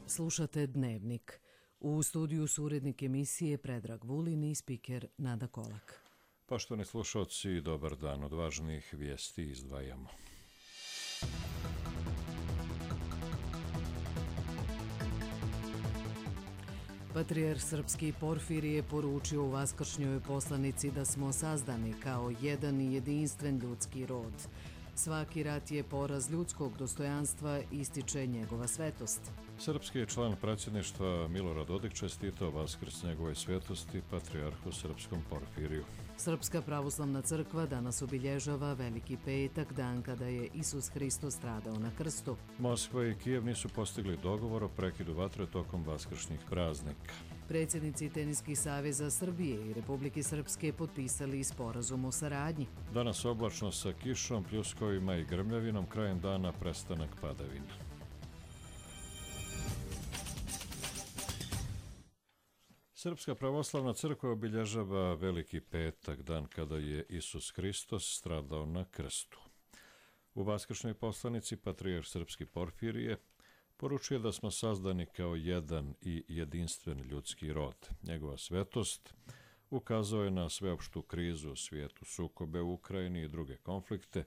Slušate Dnevnik. U studiju su urednik emisije Predrag Vulin i spiker Nada Kolak. Poštovani slušalci, dobar dan. Od važnih vijesti izdvajamo. Patrijarh srpski Porfirije poručio u vaskršnjoj poslanici da smo sazdani kao jedan i jedinstven ljudski rod. Svaki rat je poraz ljudskog dostojanstva, ističe njegova svetost. Srpski je član predsjedništva Milorad Dodik čestitao Vaskrs njegove svetosti patrijarhu srpskom Porfiriju. Srpska pravoslavna crkva danas obilježava Veliki petak, dan kada je Isus Hristos stradao na krstu. Moskva i Kijev nisu postigli dogovor o prekidu vatre tokom vaskršnjih praznika. Predsjednici Teniskih saveza Srbije i Republike Srpske potpisali sporazum o saradnji. Danas oblačno sa kišom, pljuskovima i grmljavinom, krajem dana prestanak padavina. Srpska pravoslavna crkva obilježava Veliki petak, dan kada je Isus Hristos stradao na krstu. U vaskršnjoj poslanici patrijarh srpski Porfirije poručuje da smo sazdani kao jedan i jedinstven ljudski rod. Njegova svetost ukazao je na sveopštu krizu u svijetu, sukobe u Ukrajini i druge konflikte,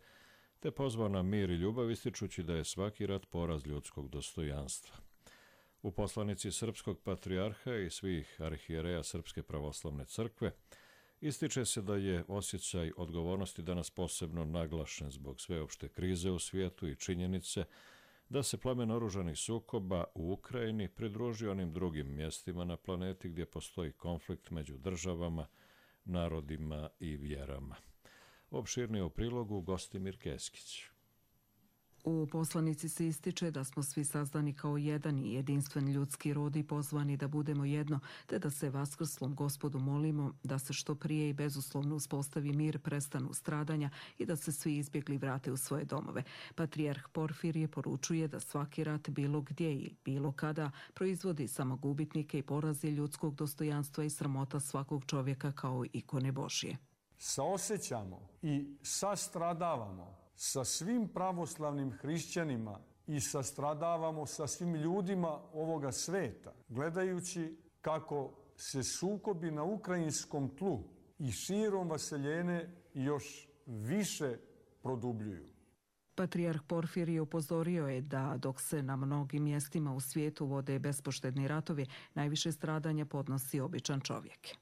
te pozvao na mir i ljubav, ističući da je svaki rat poraz ljudskog dostojanstva. U poslanici srpskog patrijarha i svih arhijereja Srpske pravoslavne crkve ističe se da je osjećaj odgovornosti danas posebno naglašen zbog sveopšte krize u svijetu i činjenice da se plamen oružanih sukoba u Ukrajini pridruži onim drugim mjestima na planeti gdje postoji konflikt među državama, narodima i vjerama. Opširnije u prilogu Gostimir Keskić. U poslanici se ističe da smo svi sazdani kao jedan i jedinstven ljudski rod i pozvani da budemo jedno, te da se vaskrslom Gospodu molimo da se što prije i bezuslovno uspostavi mir, prestanu stradanja i da se svi izbjegli vrate u svoje domove. Patrijarh Porfirije poručuje da svaki rat bilo gdje i bilo kada proizvodi samo gubitnike i porazi ljudskog dostojanstva i sramota svakog čovjeka kao ikone Božje. Saosjećamo i sastradavamo sa svim pravoslavnim hrišćanima i sastradavamo sa svim ljudima ovoga sveta, gledajući kako se sukobi na ukrajinskom tlu i širom vaseljene još više produbljuju. Patrijarh Porfirije upozorio je da dok se na mnogim mjestima u svijetu vode bespoštedni ratovi, najviše stradanja podnosi običan čovjek.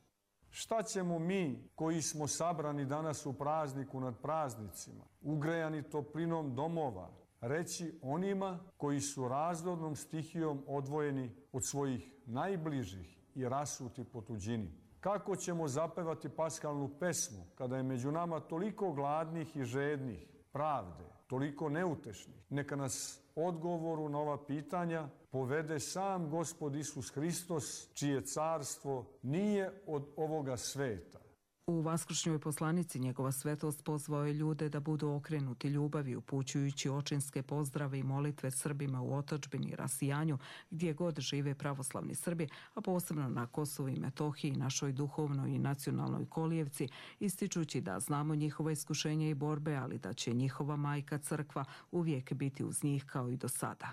Šta ćemo mi koji smo sabrani danas u prazniku nad praznicima, ugrejani toplinom domova, reći onima koji su razornom stihijom odvojeni od svojih najbližih i rasuti po tuđini? Kako ćemo zapevati paskalnu pesmu kada je među nama toliko gladnih i žednih pravde, toliko neutešnih? Neka nas odgovoru na ova pitanja povede sam Gospod Isus Hristos, čije carstvo nije od ovoga sveta. U vaskršnjoj poslanici njegova svetost pozvao je ljude da budu okrenuti ljubavi, upućujući očinske pozdrave i molitve Srbima u otadžbini i rasijanju, gdje god žive pravoslavni Srbi, a posebno na Kosovu i Metohiji, našoj duhovnoj i nacionalnoj kolijevci, ističući da znamo njihova iskušenja i borbe, ali da će njihova majka crkva uvijek biti uz njih kao i do sada.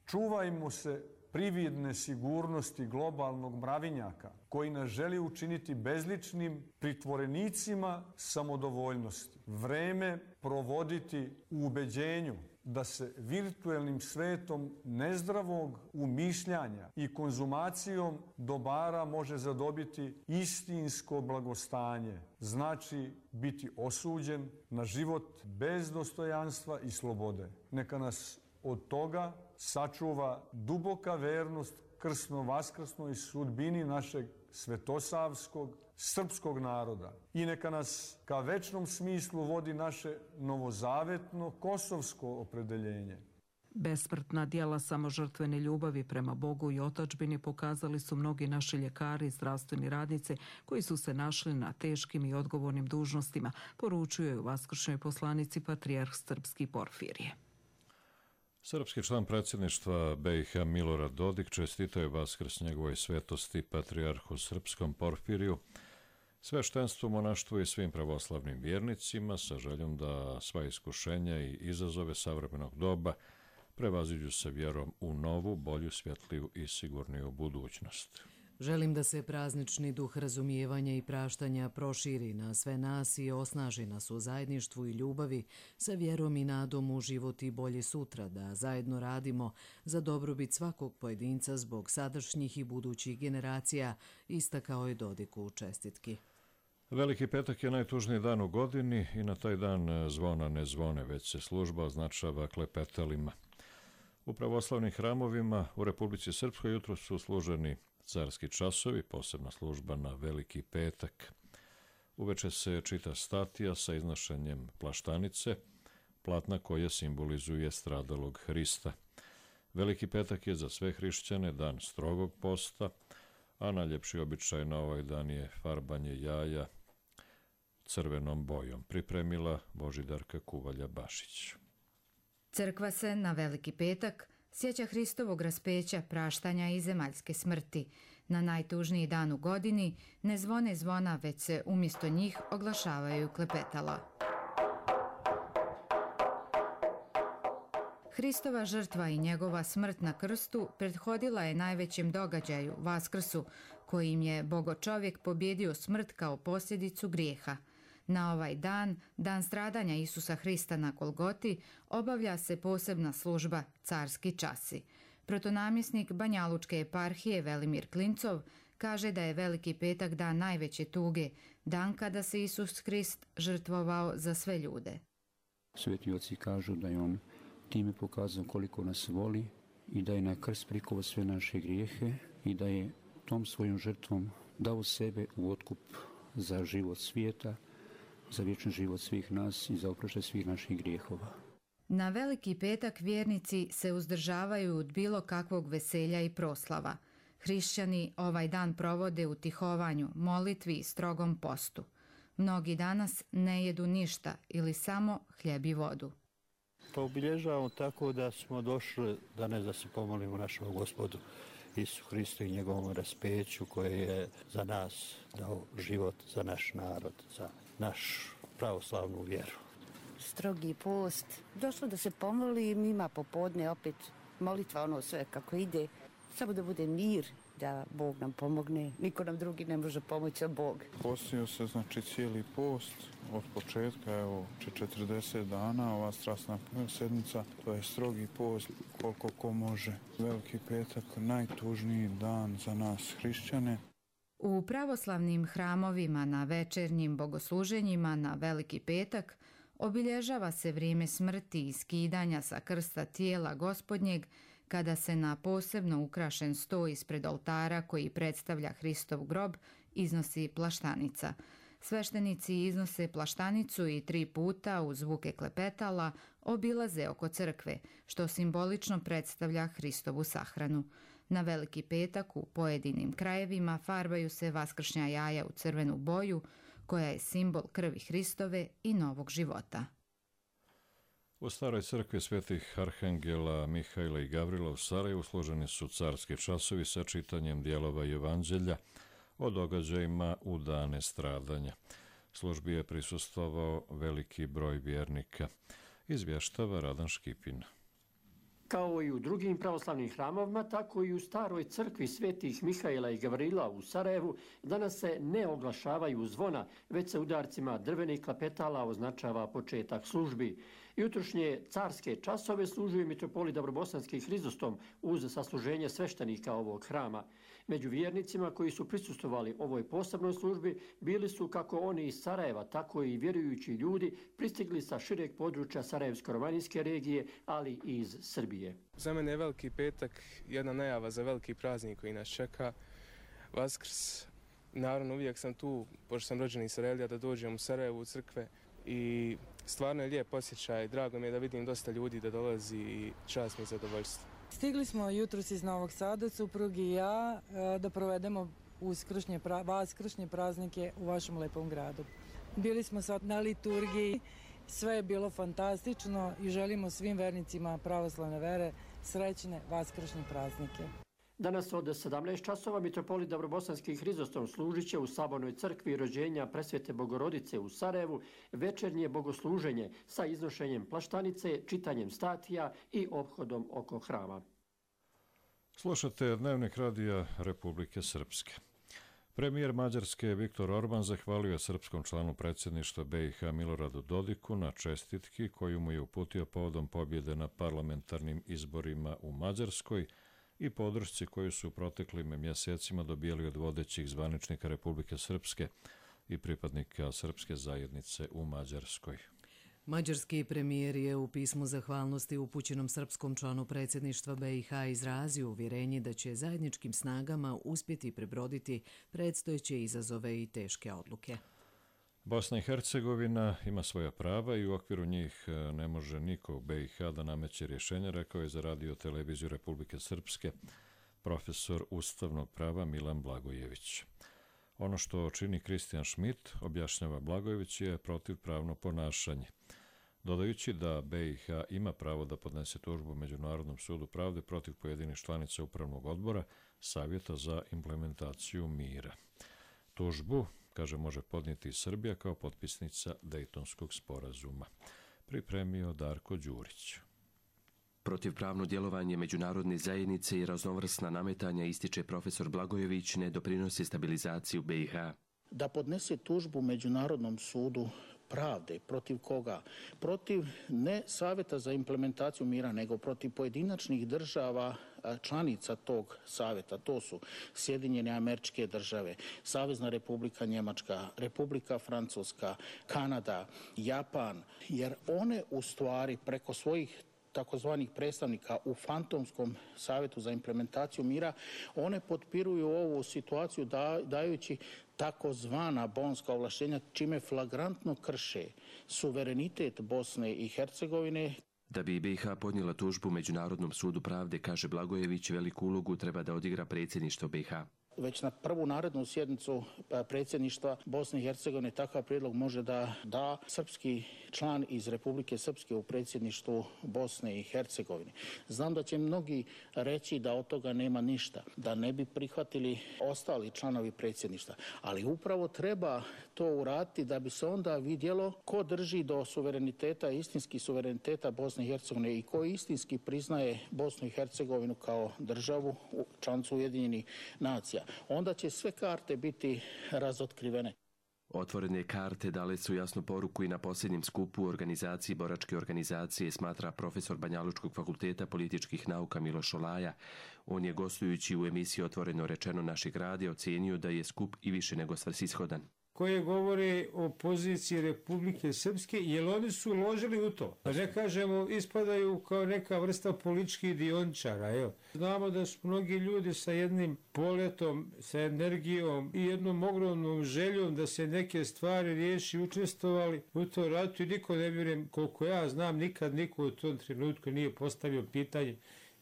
Čuvajmo se prividne sigurnosti globalnog mravinjaka koji nas želi učiniti bezličnim pritvorenicima samodovoljnosti. Vreme provoditi u ubeđenju da se virtuelnim svetom nezdravog umišljanja i konzumacijom dobara može zadobiti istinsko blagostanje. Znači biti osuđen na život bez dostojanstva i slobode. Neka nas od toga sačuva duboka vernost krsno-vaskrsnoj sudbini našeg svetosavskog srpskog naroda. I neka nas ka večnom smislu vodi naše novozavetno kosovsko opredeljenje. Besmrtna djela samožrtvene ljubavi prema Bogu i otadžbini pokazali su mnogi naši ljekari i zdravstveni radnici koji su se našli na teškim i odgovornim dužnostima, poručuje u vaskršnjoj poslanici patrijarh srpski Porfirije. Srpski član predsjedništva BiH Milorad Dodik čestitao je Vaskrs njegovoj svetosti patrijarhu srpskom Porfiriju, sveštenstvu, monaštvu i svim pravoslavnim vjernicima sa željom da sva iskušenja i izazove savremenog doba prevaziđu se vjerom u novu, bolju, svjetliju i sigurniju budućnost. Želim da se praznični duh razumijevanja i praštanja proširi na sve nas i osnaži nas u zajedništvu i ljubavi sa vjerom i nadom u život i bolje sutra, da zajedno radimo za dobrobit svakog pojedinca zbog sadašnjih i budućih generacija, istakao je Dodik u čestitki. Veliki petak je najtužniji dan u godini i na taj dan zvona ne zvone, već se služba označava klepetalima. U pravoslavnim hramovima u Republici Srpskoj jutro su služeni carski časovi, posebna služba na Veliki petak. Uveče se čita statija sa iznošenjem plaštanice, platna koja simbolizuje stradalog Hrista. Veliki petak je za sve hrišćane dan strogog posta, a najljepši običaj na ovaj dan je farbanje jaja crvenom bojom, pripremila Božidarka Kuvalja-Bašić. Crkva se na Veliki petak sjeća Hristovog raspeća, praštanja i zemaljske smrti. Na najtužniji dan u godini ne zvone zvona, već se umjesto njih oglašavaju klepetala. Hristova žrtva i njegova smrt na krstu prethodila je najvećem događaju, Vaskrsu, kojim je Bogočovjek pobjedio smrt kao posljedicu grijeha. Na ovaj dan, dan stradanja Isusa Hrista na Golgoti, obavlja se posebna služba carski časi. Protonamjesnik Banjalučke eparhije Velimir Klincov kaže da je Veliki petak dan najveće tuge, dan kada se Isus Hrist žrtvovao za sve ljude. Sveti oci kažu da je on time pokazao koliko nas voli i da je na krst prikovao sve naše grijehe i da je tom svojom žrtvom dao sebe u otkup za život svijeta, za vječni život svih nas i za oproštaj svih naših grijehova. Na Veliki petak vjernici se uzdržavaju od bilo kakvog veselja i proslava. Hrišćani ovaj dan provode u tihovanju, molitvi i strogom postu. Mnogi danas ne jedu ništa ili samo hljeb i vodu. To obilježavamo tako da smo došli danas da se pomolimo našem Gospodu Isu Hristu i njegovom raspeću koje je za nas dao život, za naš narod, za našu pravoslavnu vjeru. Strogi post. Došlo da se pomolim, ima popodne opet molitva, ono sve kako ide. Samo da bude mir, da Bog nam pomogne. Niko nam drugi ne može pomoći, a Bog. Postio se znači cijeli post od početka, evo 40 dana, ova strasna sedmica, to je strogi post koliko ko može. Veliki petak, najtužniji dan za nas hrišćane. U pravoslavnim hramovima na večernjim bogosluženjima na Veliki petak obilježava se vrijeme smrti i skidanja sa krsta tijela Gospodnjeg, kada se na posebno ukrašen sto ispred oltara koji predstavlja Hristov grob iznosi plaštanica. Sveštenici iznose plaštanicu i 3 puta uz zvuke klepetala obilaze oko crkve, što simbolično predstavlja Hristovu sahranu. Na Veliki petak u pojedinim krajevima farbaju se vaskršnja jaja u crvenu boju, koja je simbol krvi Hristove i novog života. U staroj crkvi svetih arhangela Mihajla i Gavrila u Sarajevu složeni su carski časovi sa čitanjem dijelova Evanđelja o događajima u dane stradanja. Službi je prisustvovao veliki broj vjernika, izvještava Radan Škipin. Kao i u drugim pravoslavnim hramovima, tako i u staroj crkvi svetih Mihajla i Gavrila u Sarajevu danas se ne oglašavaju zvona, već se udarcima drvenih klapetala označava početak službi. Jutrošnje carske časove služuje mitropolit Dabrobosanski Hrizostom uz sasluženje sveštenika ovog hrama. Među vjernicima koji su prisustvovali ovoj posebnoj službi bili su kako oni iz Sarajeva, tako i vjerujući ljudi pristigli sa šireg područja Sarajevsko-romanijske regije, ali i iz Srbije. Za mene je Veliki petak jedna najava za veliki praznik koji nas čeka, Vaskrs. Naravno, uvijek sam tu, pošto sam rođen iz Sarajeva, da dođem u Sarajevu u crkve i stvarno je lijep osjećaj. Drago mi je da vidim dosta ljudi da dolazi i čast mi je zadovoljstvo. Stigli smo jutros iz Novog Sada, suprug i ja, da provedemo vaskršnje praznike u vašem lepom gradu. Bili smo sad na liturgiji, sve je bilo fantastično i želimo svim vernicima pravoslavne vere srećne vaskršnje praznike. Danas od 17 časova mitropolit Davrobosanski Hrizostom služit će u Sabornoj crkvi rođenja Presvete Bogorodice u Sarajevu večernje bogosluženje sa iznošenjem plaštanice, čitanjem statija i ophodom oko hrama. Slušate Dnevnik radija Republike Srpske. Premijer Mađarske Viktor Orban zahvalio je srpskom članu predsjedništva BiH Miloradu Dodiku na čestitki koju mu je uputio povodom pobjede na parlamentarnim izborima u Mađarskoj i podršci koju su u proteklim mjesecima dobijali od vodećih zvaničnika Republike Srpske i pripadnika srpske zajednice u Mađarskoj. Mađarski premijer je u pismu zahvalnosti upućenom srpskom članu predsjedništva BiH izrazio uvjerenje da će zajedničkim snagama uspjeti prebroditi predstojeće izazove i teške odluke. Bosna i Hercegovina ima svoja prava i u okviru njih ne može niko u BiH da nameće rješenja, rekao je za radio televiziju Republike Srpske profesor ustavnog prava Milan Blagojević. Ono što čini Kristijan Schmidt, objašnjava Blagojević, je protivpravno ponašanje, dodajući da BiH ima pravo da podnese tužbu Međunarodnom sudu pravde protiv pojedinih članica Upravnog odbora Savjeta za implementaciju mira. Tužbu, kaže, može podnijeti i Srbija kao potpisnica Dejtonskog sporazuma. Pripremio Darko Đurić. Protivpravno djelovanje međunarodne zajednice i raznovrsna nametanja, ističe profesor Blagojević, ne doprinosi stabilizaciju BiH. Da podnese tužbu Međunarodnom sudu pravde. Protiv koga? Protiv ne Savjeta za implementaciju mira, nego protiv pojedinačnih država članica tog savjeta. To su Sjedinjene Američke Države, Savezna Republika Njemačka, Republika Francuska, Kanada, Japan, jer one u stvari preko svojih takozvanih predstavnika u fantomskom savjetu za implementaciju mira, one potpiruju ovu situaciju dajući takozvana bonska ovlaštenja, čime flagrantno krše suverenitet Bosne i Hercegovine. Da bi BiH podnijela tužbu Međunarodnom sudu pravde, kaže Blagojević, veliku ulogu treba da odigra predsjedništvo BiH. Već na prvu narednu sjednicu predsjedništva Bosne i Hercegovine takav prijedlog može da srpski član iz Republike Srpske u predsjedništvu Bosne i Hercegovine. Znam da će mnogi reći da od toga nema ništa, da ne bi prihvatili ostali članovi predsjedništva, ali upravo treba to uraditi da bi se onda vidjelo ko drži do suvereniteta, istinski suvereniteta Bosne i Hercegovine i ko istinski priznaje Bosnu i Hercegovinu kao državu, članicu Ujedinjenih nacija. Onda će sve karte biti razotkrivene. Otvorene karte dale su jasnu poruku i na posljednjem skupu u organizaciji Boračke organizacije, smatra profesor Banjalučkog fakulteta političkih nauka Miloš Olaja. On je, gostujući u emisiji Otvoreno rečeno našeg radija, ocijenio da je skup i više nego svrsishodan. Koje govore o poziciji Republike Srpske, jer oni su uložili u to. Ne kažemo, ispadaju kao neka vrsta političkih dioničara. Evo. Znamo da su mnogi ljudi sa jednim poletom, sa energijom i jednom ogromnom željom da se neke stvari riješi, učestvovali u to ratu i niko, ne vjerujem, koliko ja znam, nikad niko u tom trenutku nije postavio pitanje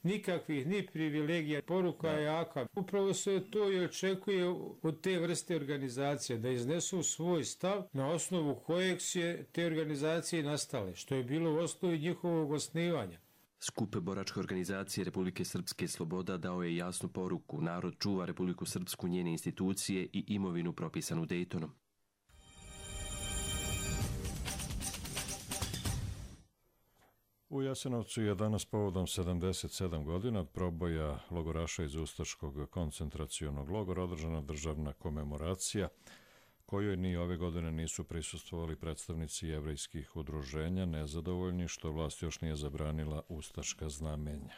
nikakvih ni privilegija, poruka je jaka. Upravo se to i očekuje od te vrste organizacije, da iznesu svoj stav na osnovu kojeg se te organizacije nastale, što je bilo u osnovi njihovog osnivanja. Skup Boračke organizacije Republike Srpske Sloboda dao je jasnu poruku: narod čuva Republiku Srpsku, njene institucije i imovinu propisanu Dejtonom. U Jasenovcu je danas povodom 77 godina od proboja logoraša iz Ustaškog koncentracionog logora održana državna komemoracija, kojoj ni ove godine nisu prisustvovali predstavnici jevrejskih udruženja, nezadovoljni što vlast još nije zabranila ustaška znamenja.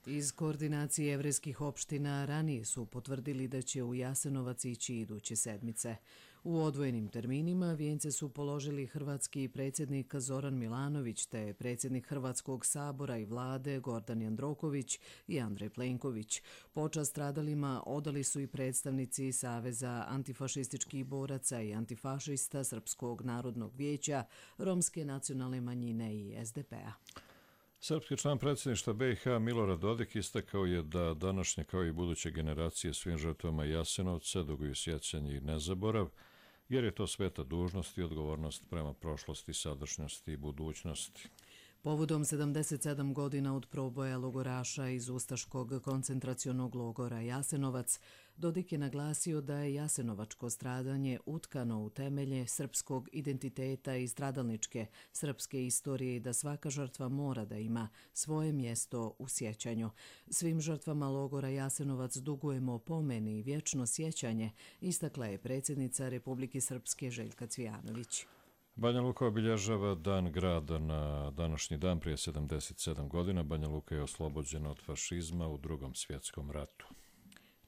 Iz koordinacije jevrejskih opština ranije su potvrdili da će u Jasenovac ići iduće sedmice. U odvojenim terminima vijence su položili hrvatski predsjednik Zoran Milanović te predsjednik Hrvatskog sabora i vlade Gordan Jandroković i Andrej Plenković. Počast stradalima odali su i predstavnici Saveza antifašističkih boraca i antifašista Srpskog narodnog vijeća, Romske nacionalne manjine i SDP-a. Srpski član predsjedništva BiH Milorad Dodik istakao je da današnje kao i buduće generacije svim žrtvama Jasenovca duguju sjećanje i nezaborav, jer je to sveta dužnost i odgovornost prema prošlosti, sadašnjosti i budućnosti. Povodom 77 godina od proboja logoraša iz ustaškog koncentracionog logora Jasenovac, Dodik je naglasio da je jasenovačko stradanje utkano u temelje srpskog identiteta i stradalničke srpske istorije i da svaka žrtva mora da ima svoje mjesto u sjećanju. Svim žrtvama logora Jasenovac dugujemo pomen i vječno sjećanje, istakla je predsjednica Republike Srpske Željka Cvijanović. Banja Luka obilježava Dan grada na današnji dan prije 77 godina. Banja Luka je oslobođena od fašizma u Drugom svjetskom ratu.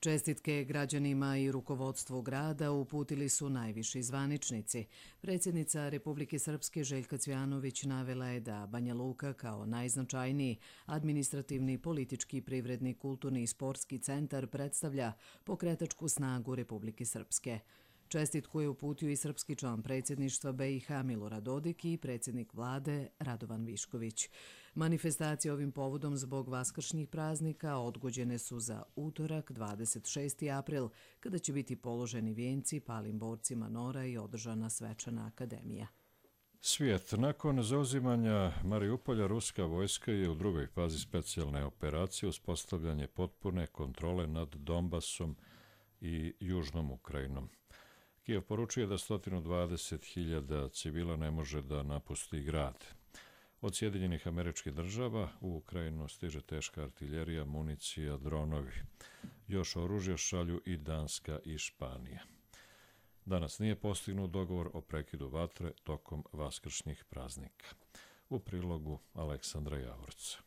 Čestitke građanima i rukovodstvu grada uputili su najviši zvaničnici. Predsjednica Republike Srpske Željka Cvijanović navela je da Banja Luka kao najznačajniji administrativni, politički, privredni, kulturni i sportski centar predstavlja pokretačku snagu Republike Srpske. Čestitku je uputio i srpski član predsjedništva BiH Milorad Dodik i predsjednik vlade Radovan Višković. Manifestacije ovim povodom zbog vaskršnjih praznika odgođene su za utorak 26. april, kada će biti položeni vijenci palim borcima NOR-a i održana svečana akademija. Svijet. Nakon zauzimanja Mariupolja, ruska vojska je u drugoj fazi specijalne operacije uspostavljanje potpune kontrole nad Donbasom i Južnom Ukrajinom. Kijev poručuje da 120.000 civila ne može da napusti grad. Od Sjedinjenih Američkih Država u Ukrajinu stiže teška artiljerija, municija, dronovi. Još oružja šalju i Danska i Španija. Danas nije postignut dogovor o prekidu vatre tokom vaskršnjih praznika. U prilogu Aleksandra Javorca.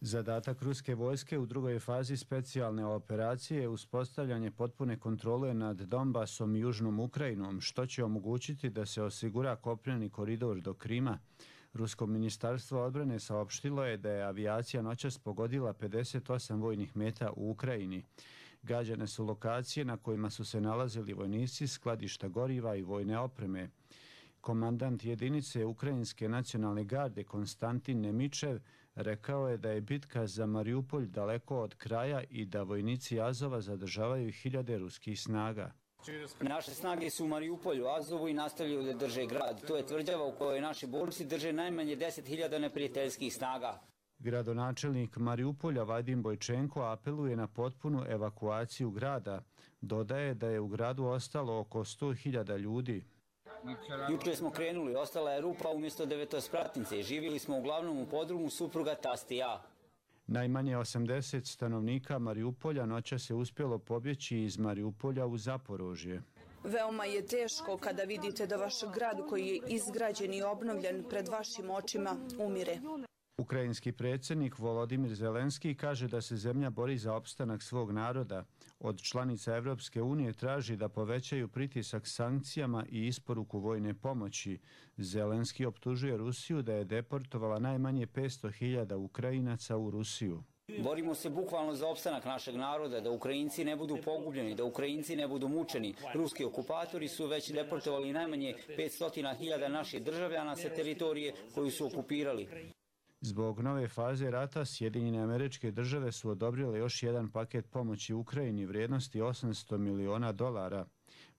Zadatak ruske vojske u drugoj fazi specijalne operacije je uspostavljanje potpune kontrole nad Donbasom i Južnom Ukrajinom, što će omogućiti da se osigura kopneni koridor do Krima. Rusko ministarstvo odbrane saopštilo je da je avijacija noćas pogodila 58 vojnih meta u Ukrajini. Gađane su lokacije na kojima su se nalazili vojnici, skladišta goriva i vojne opreme. Komandant jedinice Ukrajinske nacionalne garde Konstantin Nemičev rekao je da je bitka za Mariupolj daleko od kraja i da vojnici Azova zadržavaju hiljade ruskih snaga. Naše snage su u Mariupolju, Azovu i nastavljaju da drže grad. To je tvrđava u kojoj naši borci drže najmanje 10.000 neprijateljskih snaga. Gradonačelnik Mariupolja Vadim Bojčenko apeluje na potpunu evakuaciju grada. Dodaje da je u gradu ostalo oko 100.000 ljudi. Juče smo krenuli, ostala je rupa umjesto devetospratnice. Živjeli smo uglavnom u podrumu supruga, tast i ja. Najmanje 80 stanovnika Mariupolja noćas je uspjelo pobjeći iz Mariupolja u Zaporožje. Veoma je teško kada vidite da vaš grad koji je izgrađen i obnovljen pred vašim očima umire. Ukrajinski predsjednik Volodimir Zelenski kaže da se zemlja bori za opstanak svog naroda. Od članica Evropske unije traži da povećaju pritisak sankcijama i isporuku vojne pomoći. Zelenski optužuje Rusiju da je deportovala najmanje 500.000 Ukrajinaca u Rusiju. Borimo se bukvalno za opstanak našeg naroda, da Ukrajinci ne budu pogubljeni, da Ukrajinci ne budu mučeni. Ruski okupatori su već deportovali najmanje 500.000 naših državljana sa teritorije koju su okupirali. Zbog nove faze rata, Sjedinjene Američke Države su odobrile još jedan paket pomoći Ukrajini vrijednosti $800 miliona.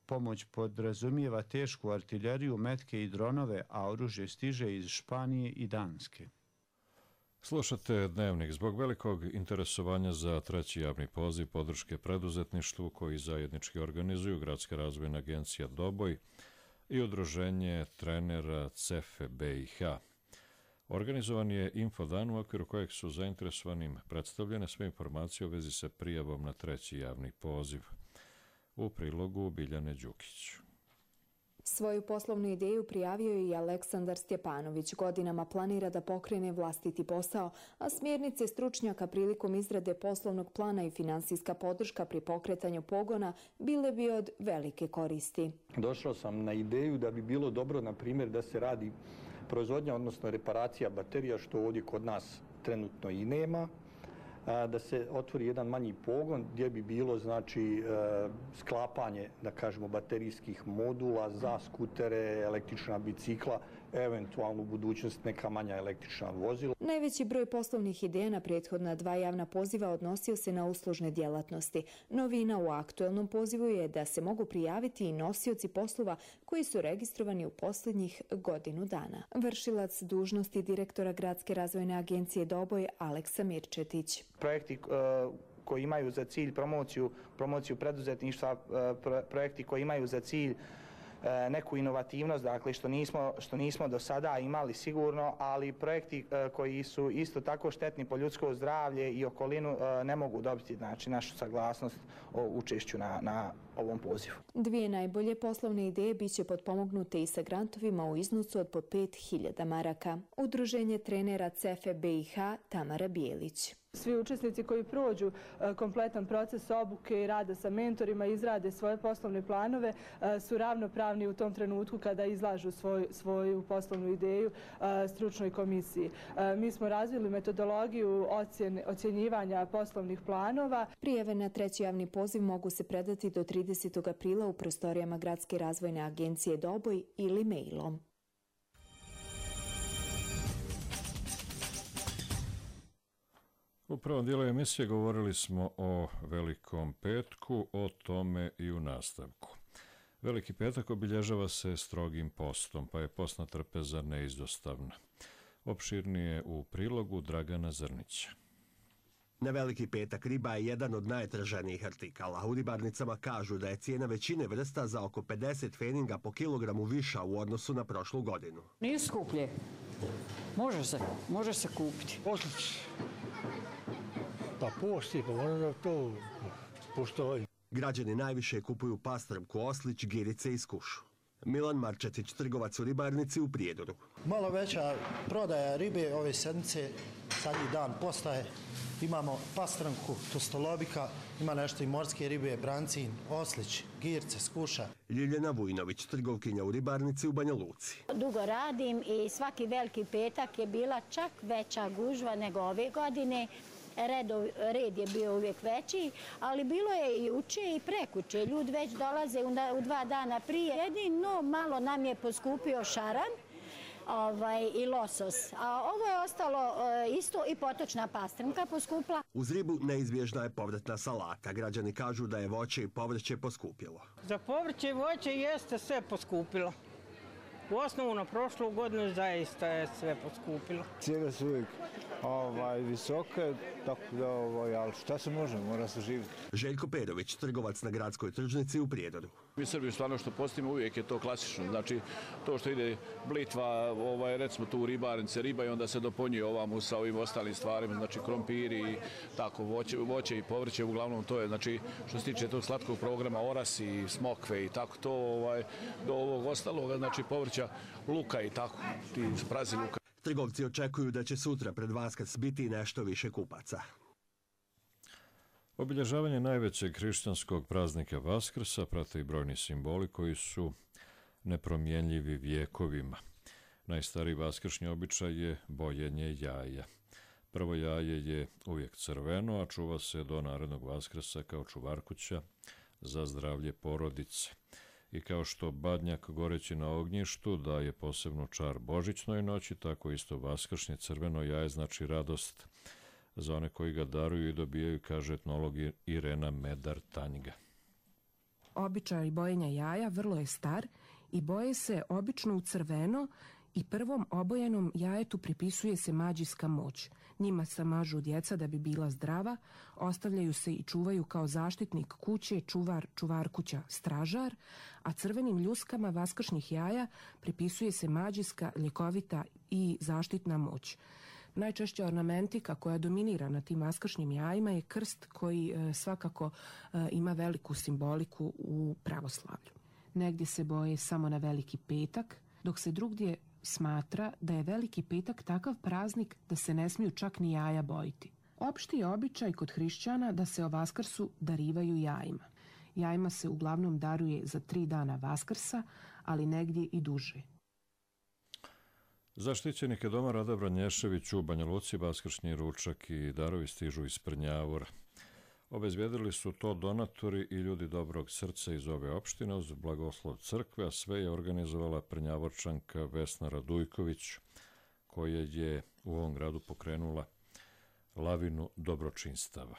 Pomoć podrazumijeva tešku artiljeriju, metke i dronove, a oružje stiže iz Španije i Danske. Slušate Dnevnik. Zbog velikog interesovanja za treći javni poziv podrške preduzetništvu koji zajednički organizuju Gradska razvojna agencija Doboj i udruženje trenera CEFE BiH. Organizovan je infodan u okviru kojeg su zainteresovanim predstavljene sve informacije u vezi sa prijavom na treći javni poziv. U prilogu Biljane Đukić. Svoju poslovnu ideju prijavio je i Aleksandar Stjepanović. Godinama planira da pokrene vlastiti posao, a smjernice stručnjaka prilikom izrade poslovnog plana i finansijska podrška pri pokretanju pogona bile bi od velike koristi. Došao sam na ideju da bi bilo dobro, na primjer, da se radi proizvodnja, odnosno reparacija baterija, što ovdje kod nas trenutno i nema, da se otvori jedan manji pogon gdje bi bilo, znači, sklapanje, da kažemo, baterijskih modula za skutere, električna bicikla, eventualno u budućnosti neka manja električna vozila. Najveći broj poslovnih ideja na prethodna 2 javna poziva odnosio se na uslužne djelatnosti. Novina u aktuelnom pozivu je da se mogu prijaviti i nosioci poslova koji su registrovani u posljednjih godinu dana. Vršilac dužnosti direktora Gradske razvojne agencije Doboj Aleksa Mirčetić. Projekti koji imaju za cilj promociju preduzetništva, projekti koji imaju za cilj neku inovativnost, dakle što nismo do sada imali sigurno, ali projekti koji su isto tako štetni po ljudsko zdravlje i okolinu ne mogu dobiti našu saglasnost o učešću na ovom pozivu. 2 najbolje poslovne ideje biće potpomognute i sa grantovima u iznosu od po 5.000 maraka. Udruženje trenera CEFE BiH Tamara Bijelić. Svi učesnici koji prođu kompletan proces obuke i rada sa mentorima, izrade svoje poslovne planove, su ravnopravni u tom trenutku kada izlažu svoju poslovnu ideju stručnoj komisiji. Mi smo razvili metodologiju ocjenjivanja poslovnih planova. Prijave na 3. javni poziv mogu se predati do 30. aprila u prostorijama Gradske razvojne agencije Doboj ili mailom. U prvom dijelu emisije govorili smo o Velikom petku, o tome i u nastavku. Veliki petak obilježava se strogim postom, pa je postna trpeza neizostavna. Opširnije u prilogu Dragana Zrnića. Na Veliki petak riba je jedan od najtraženijih artikala. U ribarnicama kažu da je cijena većine vrsta za oko 50 pfeninga po kilogramu viša u odnosu na prošlu godinu. Nije skuplje. Može se kupiti. Pa posti, pa možda da to postoji. Građani najviše kupuju pastrmku, oslić, girice i skušu. Milan Marčetić, trgovac u ribarnici u Prijedoru. Malo veća prodaja ribe ove sedmice, zadnji dan postaje. Imamo pastrmku, tostolobika, ima nešto i morske ribe, brancin, oslić, girce, skuša. Ljiljana Vujnović, trgovkinja u ribarnici u Banja Luci. Dugo radim i svaki Veliki petak je bila čak veća gužva nego ove godine. Red je bio uvijek veći, ali bilo je i uče i prekuče. Ljudi već dolaze u 2 dana prije. Jedino malo nam je poskupio šaran i losos. A ovo je ostalo isto i potočna pastrmka poskupla. Uz ribu neizbježna je povratna salata. Građani kažu da je voće i povrće poskupilo. Za povrće i voće jeste sve poskupilo. U osnovu na prošlu godinu zaista je sve poskupilo. Cijene su uvijek visoke, tako da, ali šta se može, mora se živjeti. Željko Perović, trgovac na gradskoj tržnici u Prijedoru. Mi Srbi stvarno što postimo uvijek je to klasično. Znači to što ide blitva, recimo tu u ribarnice, riba i onda se dopunjuje ovamo sa ovim ostalim stvarima, znači krompiri i tako, voće i povrće, uglavnom to je, znači što se tiče tog slatkog programa, orasi, smokve i tako to, do ovog ostaloga, znači povrća, luka i tako, ti prazi luka. Trgovci očekuju da će sutra pred Vaskrs biti nešto više kupaca. Obilježavanje najvećeg hrišćanskog praznika Vaskrsa prate i brojni simboli koji su nepromjenljivi vjekovima. Najstariji vaskršnji običaj je bojenje jaja. Prvo jaje je uvijek crveno, a čuva se do narednog Vaskrsa kao čuvarkuća za zdravlje porodice. I kao što badnjak goreći na ognjištu daje posebnu čar božićnoj noći, tako isto vaskršnje crveno jaje znači radost za one koji ga daruju i dobijaju, kaže etnolog Irena Medar-Tanjga. Običaj bojenja jaja vrlo je star i boje se obično u crveno i prvom obojenom jajetu pripisuje se mađijska moć. Njima se mažu djeca da bi bila zdrava, ostavljaju se i čuvaju kao zaštitnik kuće, čuvar, čuvarkuća, stražar, a crvenim ljuskama vaskršnjih jaja pripisuje se mađijska, ljekovita i zaštitna moć. Najčešća ornamentika koja dominira na tim vaskršnjim jajima je krst koji svakako ima veliku simboliku u pravoslavlju. Negdje se boje samo na Veliki petak, dok se drugdje smatra da je Veliki petak takav praznik da se ne smiju čak ni jaja bojiti. Opšti je običaj kod hrišćana da se o Vaskrsu darivaju jajima. Jajima se uglavnom daruje za 3 dana Vaskrsa, ali negdje i duže. Zaštićenike doma Rada Branješević u Banja Luci vaskršnji ručak i darovi stižu iz Prnjavora. Obezbijedili su to donatori i ljudi dobrog srca iz ove opštine uz blagoslov crkve, a sve je organizovala Prnjavorčanka Vesna Radujković, koja je u ovom gradu pokrenula lavinu dobročinstava.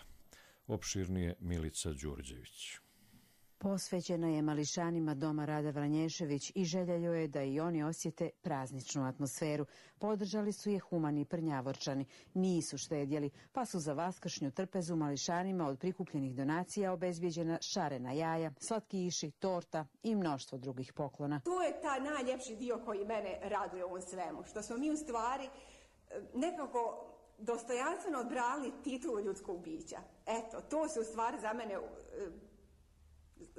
Opširnije Milica Đurđević. Posvećena je mališanima Doma Rada Vranješević i želja joj je da i oni osjete prazničnu atmosferu. Podržali su je humani Prnjavorčani. Nisu štedjeli, pa su za vaskršnju trpezu mališanima od prikupljenih donacija obezbijeđena šarena jaja, slatkiši, torta i mnoštvo drugih poklona. To je taj najljepši dio koji mene raduje u ovom svemu, što smo mi u stvari nekako dostojanstveno odbrali titulu ljudskog bića. Eto, to se u stvari za mene...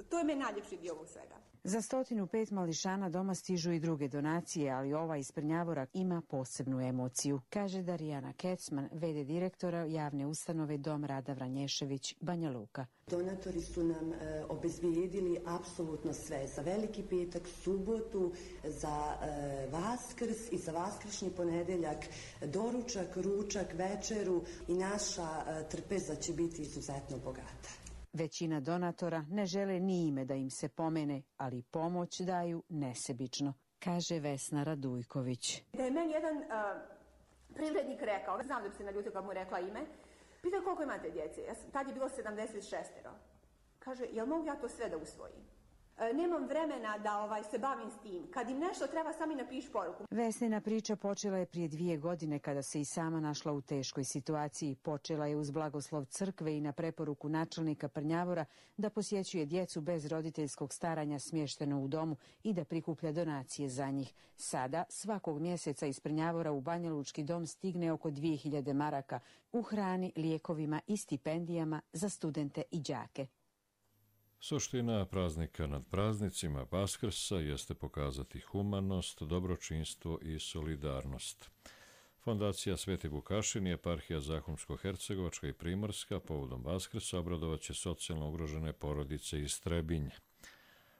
To je meni najljepši dio ovog svega. Za 105 mališana doma stižu i druge donacije, ali ova iz Prnjavora ima posebnu emociju, kaže Darijana Kecman, v.d. direktora javne ustanove Dom Rada Vranješević, Banja Luka. Donatori su nam obezbijedili apsolutno sve. Za Veliki petak, subotu, za Vaskrs i za vaskršnji ponedeljak, doručak, ručak, večeru i naša trpeza će biti izuzetno bogata. Većina donatora ne žele ni ime da im se pomene, ali pomoć daju nesebično, kaže Vesna Radujković. Da je meni jedan privrednik rekao, znam da bi se naljutio kad mu rekla ime, pitao koliko imate djece, tad je bilo 76. Kaže, jel mogu ja to sve da usvojim? Nemam vremena da se bavim s tim. Kad im nešto treba, sami napiš poruku. Vesnina priča počela je prije 2 godine kada se i sama našla u teškoj situaciji. Počela je uz blagoslov crkve i na preporuku načelnika Prnjavora da posjećuje djecu bez roditeljskog staranja smješteno u domu i da prikuplja donacije za njih. Sada svakog mjeseca iz Prnjavora u Banjalučki dom stigne oko 2000 maraka u hrani, lijekovima i stipendijama za studente i đake. Suština praznika nad praznicima Vaskrsa jeste pokazati humanost, dobročinstvo i solidarnost. Fondacija Sveti Vukašin i eparhija Zahumsko-Hercegovačka i Primorska povodom Vaskrsa obradovaće socijalno ugrožene porodice iz Trebinje.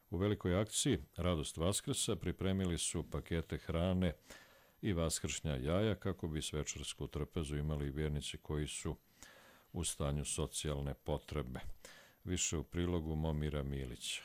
U velikoj akciji Radost Vaskrsa pripremili su pakete hrane i vaskršnja jaja kako bi svečarsku trpezu imali vjernici koji su u stanju socijalne potrebe. Više u prilogu Momira Milića.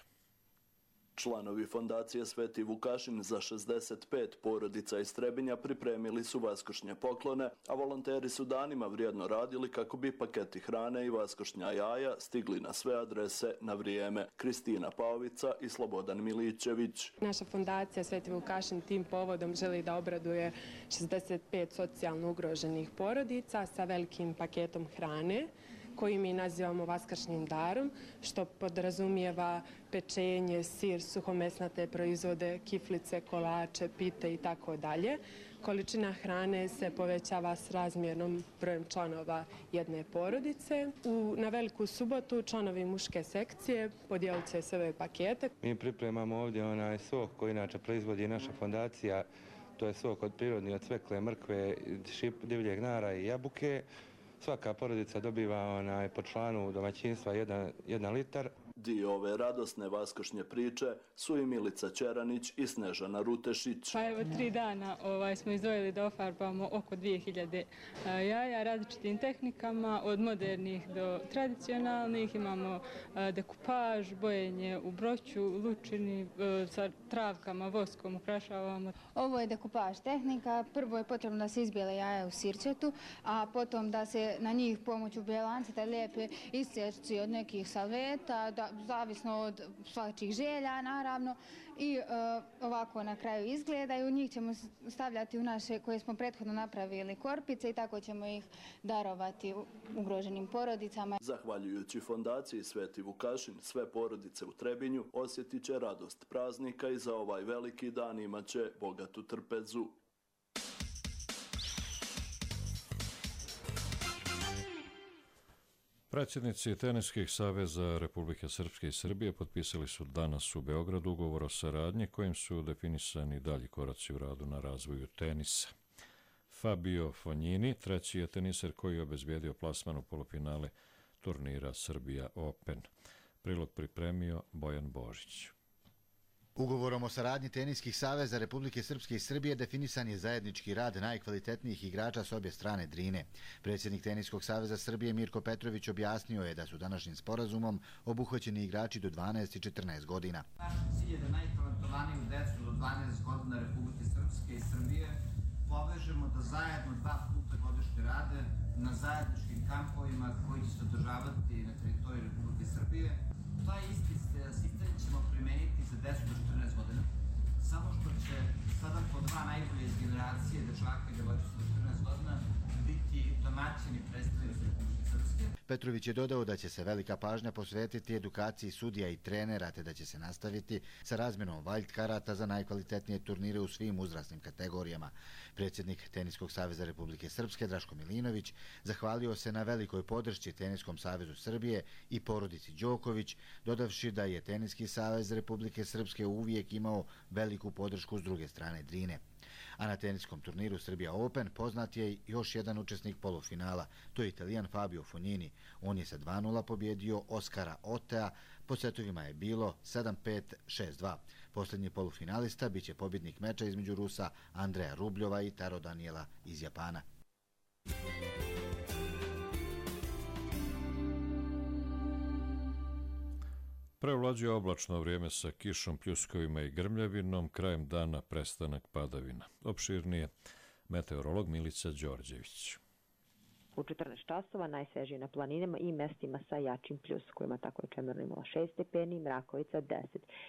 Članovi fondacije Sveti Vukašin za 65 porodica iz Trebinja pripremili su vaskršnje poklone, a volonteri su danima vrijedno radili kako bi paketi hrane i vaskršnja jaja stigli na sve adrese na vrijeme. Kristina Paovica i Slobodan Milićević. Naša fondacija Sveti Vukašin tim povodom želi da obraduje 65 socijalno ugroženih porodica sa velikim paketom hrane koji mi nazivamo vaskršnjim darom, što podrazumijeva pečenje, sir, suhomesnate proizvode, kiflice, kolače, pite i tako dalje. Količina hrane se povećava s razmjernom brojem članova jedne porodice. Na Veliku subotu članovi muške sekcije podijelit će sve ove pakete. Mi pripremamo ovdje onaj sok koji inače proizvodi naša fondacija. To je sok od prirodni, od cvekle, mrkve, divljeg nara i jabuke. Svaka porodica dobiva po članu domaćinstva 1 litar. Dio ove radosne vaskršnje priče su i Milica Ćeranić i Snežana Rutešić. Pa evo 3 dana smo izdvojili da ofarbamo oko 2000 jaja različitim tehnikama, od modernih do tradicionalnih. Imamo dekupaž, bojenje u broću, lučini, sa travkama, voskom ukrašavamo. Ovo je dekupaž tehnika. Prvo je potrebno da se izbijele jaja u sirćetu, a potom da se na njih pomoću bjelanceta lijepe isječci od nekih salveta, zavisno od svačih želja, naravno, i ovako na kraju izgledaju. Njih ćemo stavljati u naše, koje smo prethodno napravili, korpice i tako ćemo ih darovati ugroženim porodicama. Zahvaljujući fondaciji Sveti Vukašin, sve porodice u Trebinju osjetit će radost praznika i za ovaj veliki dan imaće bogatu trpezu. Predsjednici teniskih saveza Republike Srpske i Srbije potpisali su danas u Beogradu ugovor o saradnji kojim su definisani dalji koraci u radu na razvoju tenisa. Fabio Fognini, treći je teniser koji je obezbijedio plasman u polufinale turnira Srbija Open. Prilog pripremio Bojan Božić. Ugovorom o saradnji teniskih saveza Republike Srpske i Srbije definisan je zajednički rad najkvalitetnijih igrača s obje strane Drine. Predsjednik Teniskog saveza Srbije Mirko Petrović objasnio je da su današnjim sporazumom obuhvaćeni igrači do 12 i 14 godina. Naš cilj je da najtalentovaniju decu do 12 godina Republike Srpske i Srbije povežemo da zajedno 2 puta godišnje rade na zajedničkim kampovima koji će se održavati na teritoriji Republike Srbije. Taj isti sistem ćemo primeniti za decu do 14 godina, samo što će sada po 2 najbolje iz generacije dečaka i devojčica do 14 godina biti domaćini predstavnici Republike Srpske. Petrović je dodao da će se velika pažnja posvetiti edukaciji sudija i trenera, te da će se nastaviti sa razmjenom wild karata za najkvalitetnije turnire u svim uzrasnim kategorijama. Predsjednik Teniskog saveza Republike Srpske Draško Milinović zahvalio se na velikoj podršci Teniskom savezu Srbije i porodici Đoković, dodavši da je Teniski savez Republike Srpske uvijek imao veliku podršku s druge strane Drine. A na teniskom turniru Srbija Open poznat je još jedan učesnik polufinala, to je Italijan Fabio Fognini. On je sa 2:0 pobjedio Oskara Otea, po setovima je bilo 7-5, 6-2. Posljednji polufinalista biće pobjednik meča između Rusa Andreja Rubljova i Taro Daniela iz Japana. Prevlađuje oblačno vrijeme sa kišom, pljuskovima i grmljavinom, krajem dana prestanak padavina. Opširnije, meteorolog Milica Đorđević. U 14 časova najsvežije na planinama i mestima sa jačim pljuskovima, tako je Čemerno imala 6 stepeni, Mrakovica 10,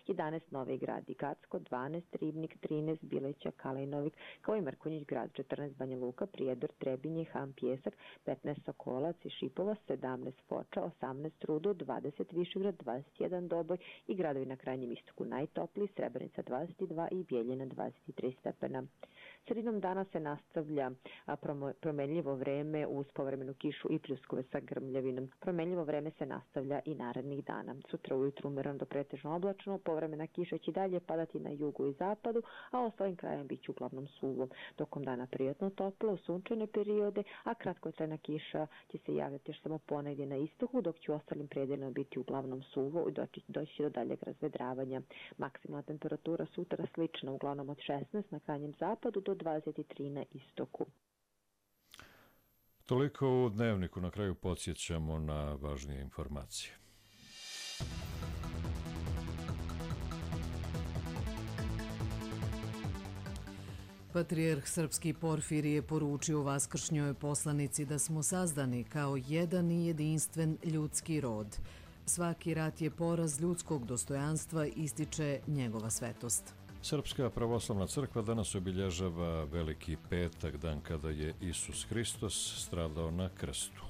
11 Novi Grad i Gacko, 12 Ribnik, 13 Bileća, Kalajnovik, kao i Mrkonjić grad, 14 Banja Luka, Prijedor, Trebinje, Ham, Pjesak, 15 Sokolac i Šipova, 17 Foča, 18 Rudo, 20 Višegrad, 21 Doboj i gradovi na krajnjem istoku najtopliji, Srebrenica 22 i Bijeljina 23 stepena. Sredinom dana se nastavlja promenljivo vreme uz povremenu kišu i pljuskove sa grmljavinom. Promenljivo vreme se nastavlja i narednih dana. Sutra ujutru umereno do pretežno oblačno, povremena kiša će dalje padati na jugu i zapadu, a ostalim krajem bit će uglavnom suvo. Tokom dana prijatno toplo, sunčane periode, a kratkotrajna kiša će se javljati još samo ponegdje na istoku, dok će u ostalim predelima biti uglavnom suvo i doći će do daljeg razvedravanja. Maksimalna temperatura sutra slična, uglavnom od 16 na krajnjem zapadu do 23 na istoku. Toliko u Dnevniku, na kraju podsjećamo na važnije informacije. Patrijarh srpski Porfirije je poručio vaskršnjoj poslanici da smo sazdani kao jedan i jedinstven ljudski rod. Svaki rat je poraz ljudskog dostojanstva, ističe njegova svetost. Srpska pravoslavna crkva danas obilježava Veliki petak, dan kada je Isus Hristos stradao na krstu.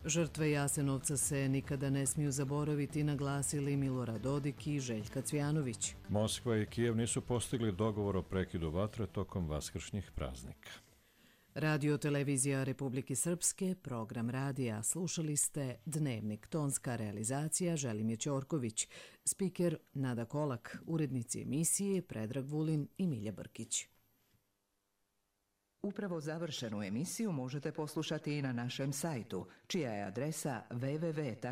Žrtve Jasenovca se nikada ne smiju zaboraviti, naglasili Milorad Dodik i Željka Cvijanović. Moskva i Kijev nisu postigli dogovor o prekidu vatre tokom vaskršnjih praznika. Radio televizija Republike Srpske, program radija. Slušali ste Dnevnik, tonska realizacija Želimir Ćorković, spiker Nada Kolak, urednici emisije Predrag Vulin i Milja Brkić. Upravo završenu emisiju možete poslušati i na našem sajtu, čija je adresa www.rtrs.tv.